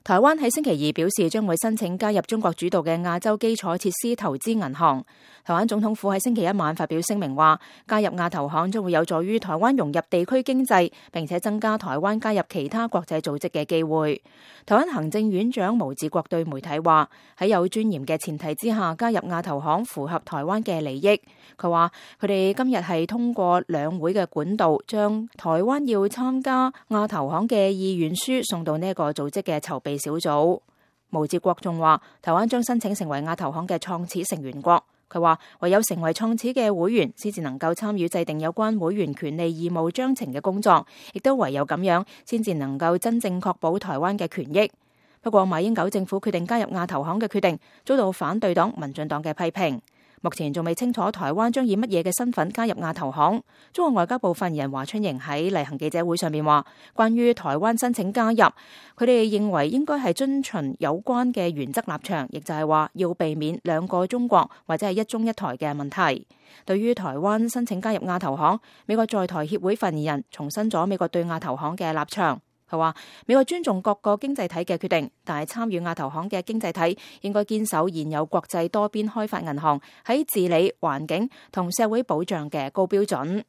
台灣喺星期二表示將會申請加入中國主導嘅亞洲基礎設施投資銀行。台灣總統府喺星期一晚發表聲明話，加入亞投行將會有助於台灣融入地區經濟，並且增加台灣加入其他國際組織嘅機會。台灣行政院長毛治國對媒體話，喺有尊嚴嘅前提之下加入亞投行符合台灣嘅利益。佢話佢哋今日係通過兩會嘅管道，將台灣要參加亞投行嘅意願書送到呢個組織嘅籌備小組。毛治國仲話，台灣將申請成為亞投行嘅創始成員國。佢話唯有成為創始嘅會員，先至能夠參與制定有關會員權利義務章程嘅工作，亦都唯有咁樣，先至能夠真正確保台灣嘅權益。不過馬英九政府決定加入亞投行嘅決定，遭到反對黨民進黨嘅批評。目前仲未清楚台灣將以乜嘢嘅身份加入亞投行。中國外交部發言人華春瑩喺例行記者會上面話，關於台灣申請加入，佢哋認為應該係遵循有關嘅原則立場，亦就係話要避免兩個中國或者係一中一台嘅問題。對於台灣申請加入亞投行，美國在台協會發言人重申咗美國對亞投行嘅立場。佢話美國尊重各個經濟體嘅決定，但係參與亞投行嘅經濟體應該堅守現有國際多邊開發銀行喺治理、環境同社會保障嘅高標準。